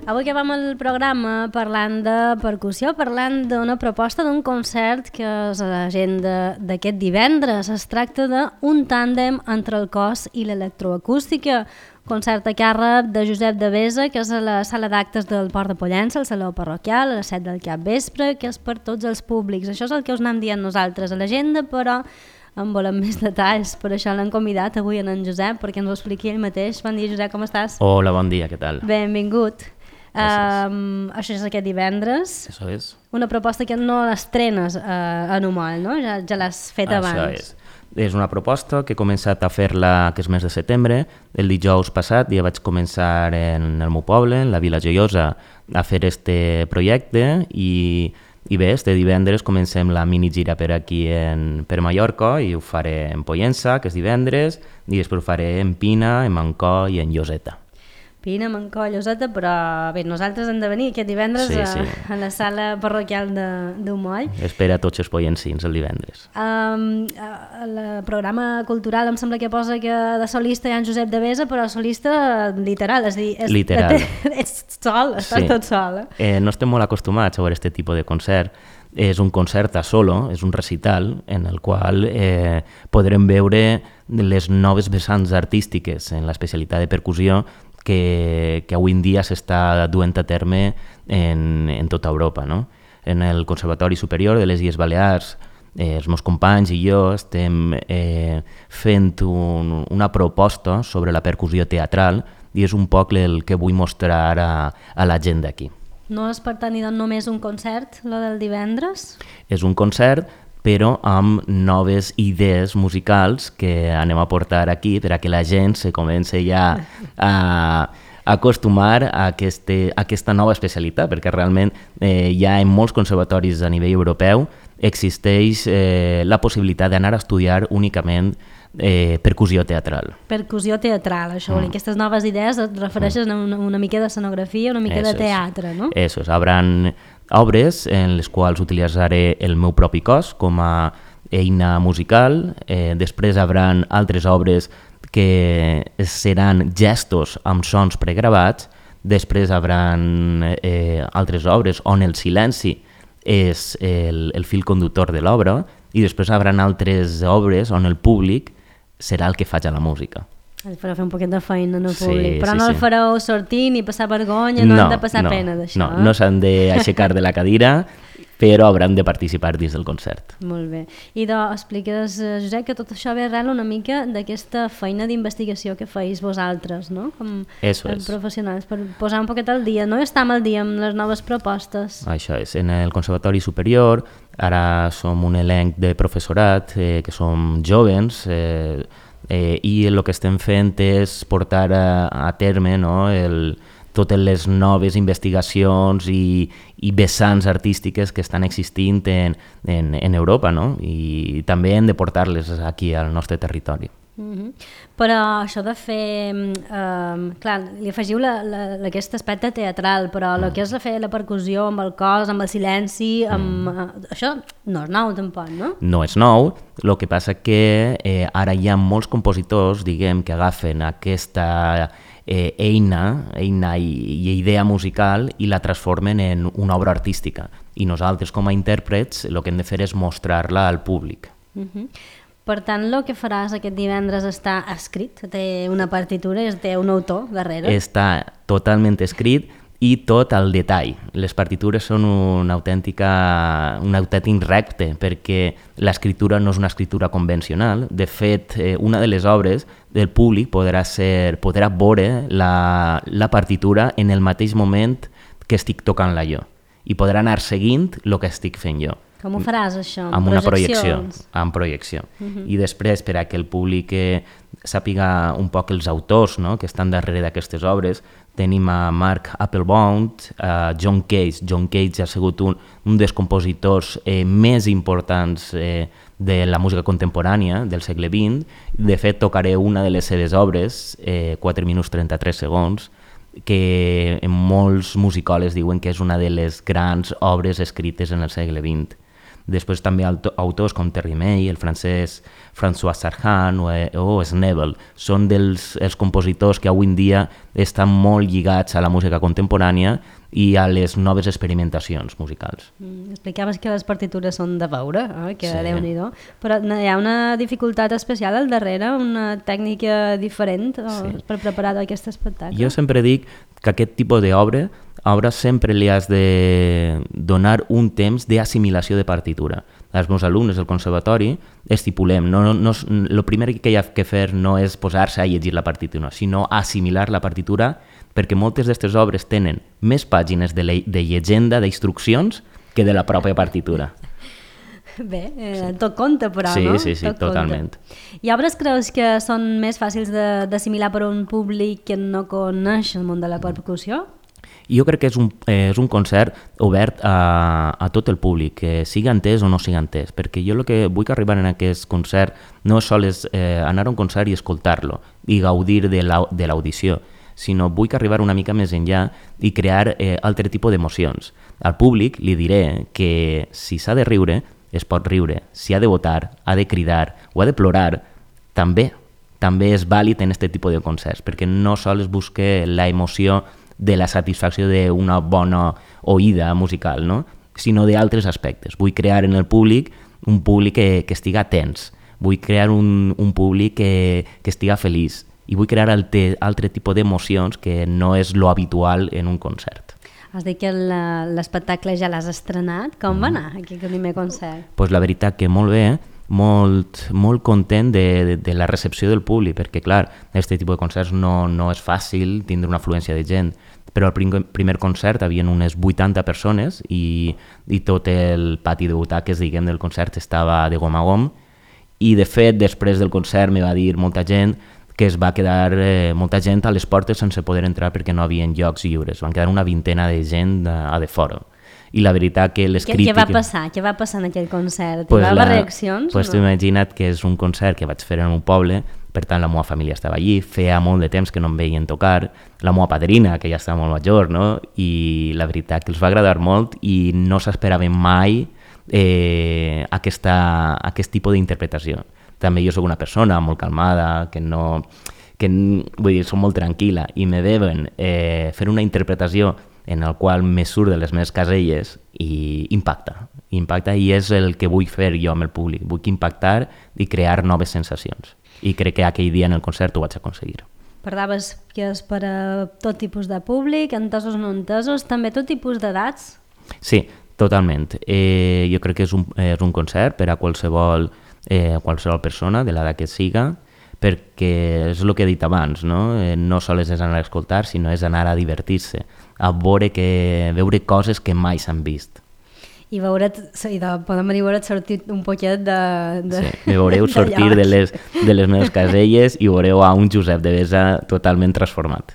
Avui acabem el programa parlant de percussió, parlant d'una proposta d'un concert que és a l'agenda d'aquest divendres. Es tracta d'un tàndem entre el cos i l'electroacústica, concert a càrrec de Josep Devesa, que és a la sala d'actes del Port de Pollença, al Saló Parroquial, a les 7 del capvespre, que és per tots els públics. Això és el que us anem dient nosaltres a l'agenda, però en volem més detalls. Per això l'hem convidat avui en Josep, perquè ens ho expliqui ell mateix. Bon dia, Josep, com estàs? Hola, bon dia, què tal? Benvingut. Això és aquest divendres. Eso es. Una proposta que no l'estrenes a Numol, no? Ja l'has fet abans. Això és. És una proposta que he començat a fer-la aquest mes de setembre. El dijous passat ja vaig començar en el meu poble, en la Vila Joiosa, a fer este projecte i bé, este divendres comencem la minigira per aquí per Mallorca i ho faré en Pollença, que és divendres, i després ho faré en Pina, en Mancor i en Lloseta. Pina, Mancor, Lloseta, però bé, nosaltres hem de venir aquest divendres a la sala parroquial d'Umoll. Espera tots els pollencins el divendres. El programa cultural em sembla que posa que de solista hi ha en Josep Devesa, però solista literal, és a dir, literal. Ets sol, estàs tot sol. No estem molt acostumats a veure aquest tipus de concert. És un concert a solo, és un recital en el qual podrem veure les noves vessants artístiques en l'especialitat de percussió que avui en dia s'està duent a terme en tota Europa, no? En el Conservatori Superior de les Illes Balears, els meus companys i jo estem fent una proposta sobre la percussió teatral i és un poc el que vull mostrar a la gent d'aquí. No és per tant només un concert, lo del divendres? És un concert, però amb noves idees musicals que anem a portar aquí per a que la gent se comenci ja a acostumar a aquesta nova especialitat, perquè realment ja en molts conservatoris a nivell europeu existeix la possibilitat d'anar a estudiar únicament percussió teatral. Percussió teatral, això vol dir, aquestes noves idees et refereixen a una mica d'escenografia, una mica de teatre, no? Eso es, habran obres en les quals utilitzaré el meu propi cos com a eina musical, després habran altres obres que seran gestos amb sons pregravats, després habran altres obres on el silenci és el fil conductor de l'obra i després habran altres obres on el públic serà el que faig a la música. El fareu fer un poquet de feina en el públic, però no el fareu sortir ni passar vergonya, no han de passar pena d'això. No s'han d'aixecar de la cadira, però hauran de participar dins del concert. Molt bé. I expliques, Josep, que tot això ve arrel una mica d'aquesta feina d'investigació que feis vosaltres, no? Com professionals, per posar un poquet al dia, no? Estem al dia amb les noves propostes. Això és, en el Conservatori Superior, ara som un elenc de professorat, que som jóvens, i el que estem fent és portar a terme, no, totes les noves investigacions i vessants artístiques que estan existint en Europa, no? I també hem de portar-les aquí al nostre territori. Però això de fer... clar, li afegiu aquest aspecte teatral, però el que és fer la percussió amb el cos, amb el silenci, això no és nou tampoc, no? No és nou, el que passa que ara hi ha molts compositors, diguem, que agafen aquesta eina i idea musical i la transformen en una obra artística. I nosaltres, com a intèrprets, el que hem de fer és mostrar-la al públic. Per tant, el que faràs aquest divendres està escrit? Té una partitura, té un autor darrere? Està totalment escrit i tot al detall. Les partitures són un autèntic repte perquè l'escriptura no és una escriptura convencional. De fet, una de les obres del públic podrà veure la partitura en el mateix moment que estic tocant-la jo i podrà anar seguint el que estic fent jo. Com ho faràs, això? Amb una projecció. Amb projecció. I després, per a que el públic sàpiga un poc els autors, no?, que estan darrere d'aquestes obres, tenim a Mark Applebaum, a John Cage. John Cage ha sigut un dels compositors més importants de la música contemporània del segle XX. De fet, tocaré una de les seves obres, 4 minuts 33 segons, que molts musicòlegs diuen que és una de les grans obres escrites en el segle XX. Després també autors com Terry May, el francès François Sarhan o Snebel són els compositors que avui en dia estan molt lligats a la música contemporània i a les noves experimentacions musicals. Explicaves que les partitures són de veure, que sí. Déu-n'hi-do, però hi ha una dificultat especial al darrere, una tècnica diferent per preparar aquest espectacle? Jo sempre dic que aquest tipus d'obra sempre li has de donar un temps d'assimilació de partitura. Els meus alumnes del conservatori estipulem, el primer que hi ha que fer no és posar-se a llegir la partitura, sinó assimilar la partitura, perquè moltes d'aquestes obres tenen més pàgines de llegenda, d'instruccions, que de la pròpia partitura. Bé, tot compte, però, sí, no? Sí, totalment. I obres creus que són més fàcils d'assimilar per un públic que no coneix el món de la percussió? Jo crec que és un concert obert a tot el públic, que sigui entès o no sigui entès, perquè jo el que vull arribar en aquest concert no és sols anar a un concert i escoltar-lo i gaudir de l'audició, sinó vull arribar una mica més enllà i crear altre tipus d'emocions. Al públic li diré que si s'ha de riure, es pot riure, si ha de votar, ha de cridar o ha de plorar, també és vàlid en aquest tipus de concerts, perquè no sols busque la emoció de la satisfacció d'una bona oïda musical, no? Sinó d'altres aspectes. Vull crear en el públic un públic que estiga tens, vull crear un públic que estiga feliç i vull crear altre tipus d'emocions que no és lo habitual en un concert. Has dit que l'espectacle ja l'has estrenat. Com va anar aquest primer concert? Pues la veritat que molt bé, molt content de la recepció del públic, perquè clar, aquest tipus de concerts no és fàcil tindre una afluència de gent, però al primer concert havien unes 80 persones i tot el pati de butaques, diguem, del concert estava de gom a gom, i de fet després del concert me va dir molta gent que es va quedar molta gent a les portes sense poder entrar perquè no havien llocs lliures, van quedar una vintena de gent a de fora. I la veritat que les crítiques... Què va passar en aquell concert? Hi va haver reaccions? Pues no? Imagina't que és un concert que vaig fer en un poble, per tant la meva família estava allí, feia molt de temps que no em veien tocar, la meva padrina, que ja estava molt major, no? I la veritat que els va agradar molt i no s'esperaven mai aquest tipus d'interpretació. També jo soc una persona molt calmada, vull dir, soc molt tranquil·la, i me veuen fer una interpretació en el qual me surt de les meves caselles i impacta i és el que vull fer jo amb el públic, vull impactar i crear noves sensacions i crec que aquell dia en el concert ho vaig aconseguir. Parlaves que és per a tot tipus de públic, entesos o no entesos, també tot tipus d'edats? Sí, totalment. Jo crec que és un concert per a qualsevol persona de l'edat que siga, perquè és el que he dit abans, no sols és anar a escoltar, sinó és anar a divertir-se, a veure coses que mai s'han vist. I podem venir a veure't sortir un poquet de... Sí, me veureu sortir de les meves caselles i veureu a un Josep de Besa totalment transformat.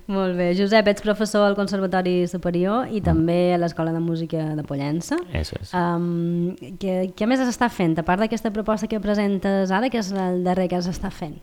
Molt bé. Josep, ets professor al Conservatori Superior i també a l'Escola de Música de Pollença. Això és. Què més s'està fent? A part d'aquesta proposta que presentes ara, que és el darrer que s'està fent?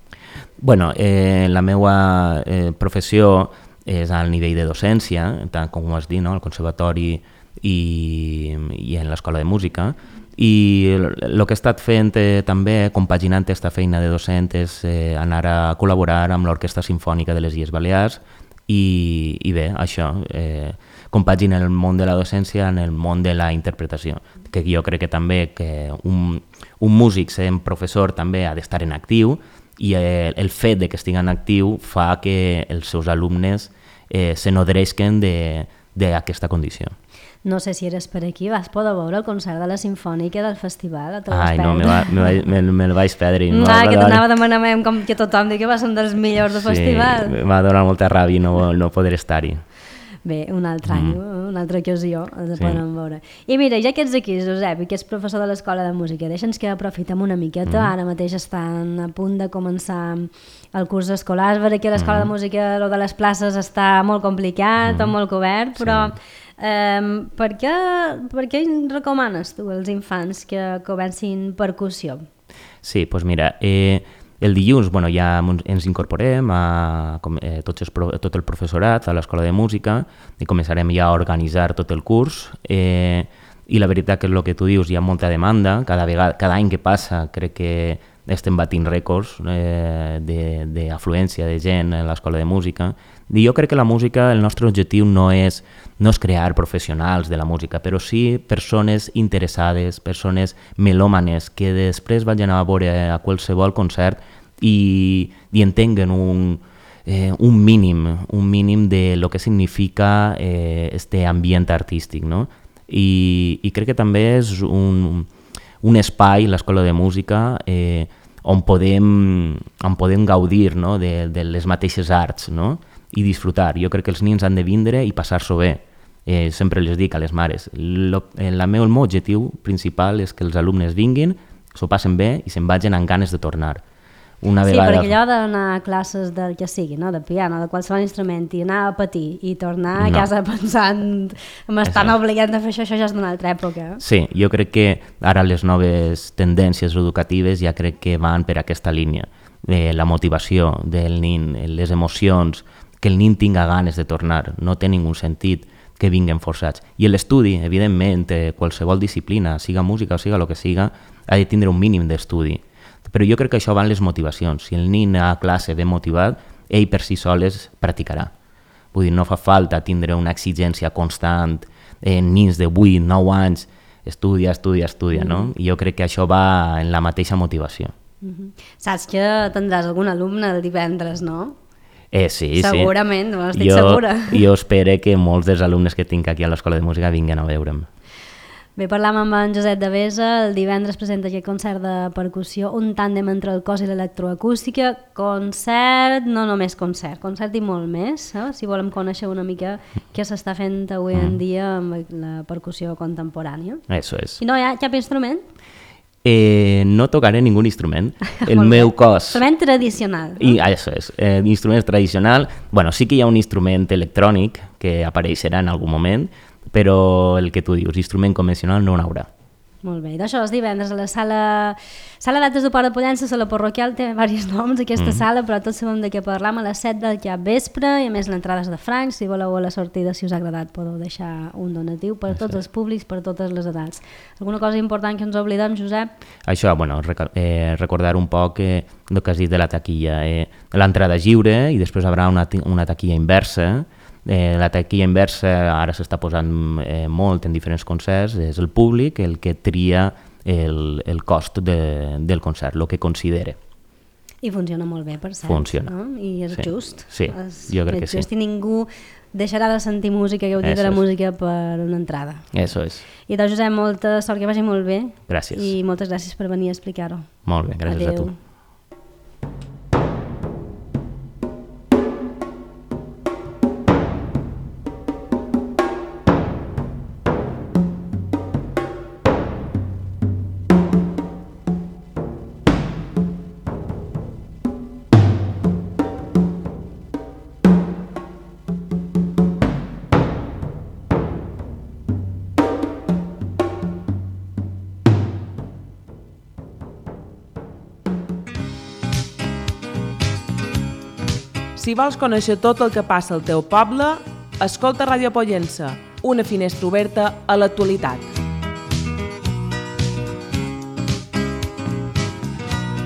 Bueno, la meva professió és al nivell de docència, tant com ho has dit, al Conservatori i en l'Escola de Música, i el que he estat fent també, compaginant aquesta feina de docent, és anar a col·laborar amb l'Orquestra Simfònica de les Illes Balears i bé, això, compagina el món de la docència en el món de la interpretació, que jo crec que també que un músic sent professor també ha d'estar en actiu i el fet de que estigui en actiu fa que els seus alumnes se nodreixen d'aquesta condició. No sé si eres per aquí, vas poder veure el concert de la Simfònica del festival? Ai, no, me'l vaig perdre. Que t'anava demanant com que tothom digui que va ser un dels millors del festival. Sí, m'ha donat molta ràbia no poder estar-hi. Bé, un altre any, una altra ocasió de podem veure. I mira, ja que ets aquí, Josep, i que ets professor de l'Escola de Música, deixa'ns que aprofitem una miqueta. Ara mateix estan a punt de començar el curs escolar. És veritat que a l'Escola de Música lo de les places està molt complicat, molt cobert, però per què recomanes tu als infants que comencin percussió? Sí, doncs mira, el dilluns ja ens incorporem tot el professorat a l'Escola de Música i començarem ja a organitzar tot el curs. i la veritat que és el que tu dius, hi ha molta demanda, cada any que passa crec que estem batint rècords d'afluència de gent a l'escola de música, i jo crec que la música, el nostre objectiu no és crear professionals de la música, però sí persones interessades, persones melòmanes que després vagin a veure a qualsevol concert i entenguen un mínim de lo que significa este ambient artístic, no? I crec que també és un espai, l'escola de música, on podem gaudir, no? de les mateixes arts, no? I disfrutar. Jo crec que els nens han de vindre i passar-s'ho bé. Sempre les dic a les mares. El meu objectiu principal és que els alumnes vinguin, s'ho passen bé i se'n vagin amb ganes de tornar. Una vegada... Sí, perquè allò d'anar a classes del que sigui, no? De piano, de qualsevol instrument, i anar a patir i tornar a casa pensant m'estan obligant a fer això ja és d'una altra època. Sí, jo crec que ara les noves tendències educatives ja crec que van per aquesta línia. La motivació del nin, les emocions, que el nin tinga ganes de tornar, no té ningú sentit que vinguen forçats. I l'estudi, evidentment, qualsevol disciplina, siga música o siga el que siga, ha de tindre un mínim d'estudi. Però jo crec que això van les motivacions. Si el nin a classe ben motivat, ell per si sol es practicarà. Vull dir, no fa falta tindre una exigència constant en nins de 8, 9 anys, estudia, no? I jo crec que això va en la mateixa motivació. Saps que tindràs algun alumne el divendres, no? Sí. Segurament, estic segura. Jo espero que molts dels alumnes que tinc aquí a l'Escola de Música vinguin a veure'm. Bé, parlam amb en Josep Devesa, el divendres presenta aquest concert de percussió, un tàndem entre el cos i l'electroacústica, concert, no només concert i molt més, si volem conèixer una mica què s'està fent avui en dia amb la percussió contemporània. Eso es. I no hi ha cap instrument? No tocaré ningú instrument. El meu cos... Instrument tradicional. No? Això és, instrument tradicional. Bueno, sí que hi ha un instrument electrònic que apareixerà en algun moment, però el que tu dius, instrument convencional no n'haurà. Molt bé, d'això és divendres a la sala d'actes de Port de Pollença, la parroquial té diversos noms aquesta sala, però tots sabem de què parlam, a les 7 del cap vespre, i a més l'entrada és de francs, si voleu a la sortida, si us ha agradat, podeu deixar un donatiu per a tots els públics, per a totes les edats. Alguna cosa important que ens oblidem, Josep? Això, bueno, recordar un poc el que has dit de la taquilla. L'entrada lliure i després hi haurà una taquilla inversa. La taquilla inversa ara s'està posant molt en diferents concerts, és el públic el que tria el cost del concert, el que considera. I funciona molt bé, per cert. Funciona. No? I és just. Sí, jo crec que sí. I ningú deixarà de sentir música, gaudir de la música per una entrada. Eso és. I doncs, Josep, molta sort, que vagi molt bé. Gràcies. I moltes gràcies per venir a explicar-ho. Molt bé, gràcies a tu. Si vols conèixer tot el que passa al teu poble, escolta Ràdio Pollença, una finestra oberta a l'actualitat.